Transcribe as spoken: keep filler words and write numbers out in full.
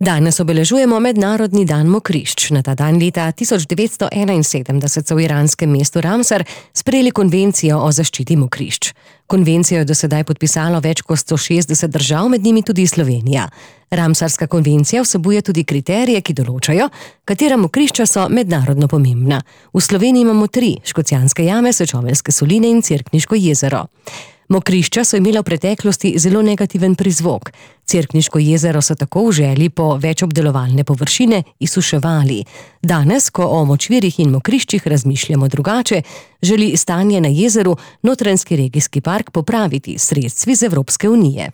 Danes obeležujemo Mednarodni dan mokrišč. Na ta dan leta tisoč devetsto enainsedemdeset so v iranskem mestu Ramsar sprejeli konvencijo o zaščiti mokrišč. Konvencijo je do sedaj podpisalo več kot sto šestdeset držav, med njimi tudi Slovenija. Ramsarska konvencija vsebuje tudi kriterije, ki določajo, katera mokrišča so mednarodno pomembna. V Sloveniji imamo tri: Škocjanske jame, Sečoveljske soline in Cerkniško jezero. Mokrišča so imela v preteklosti zelo negativen prizvok. Cerkniško jezero so tako v želji po več obdelovalne površine izsuševali. Danes, ko o močvirjih in mokriščih razmišljamo drugače, želi stanje na jezeru Notranjski regijski park popraviti s sredstvi z Evropske unije.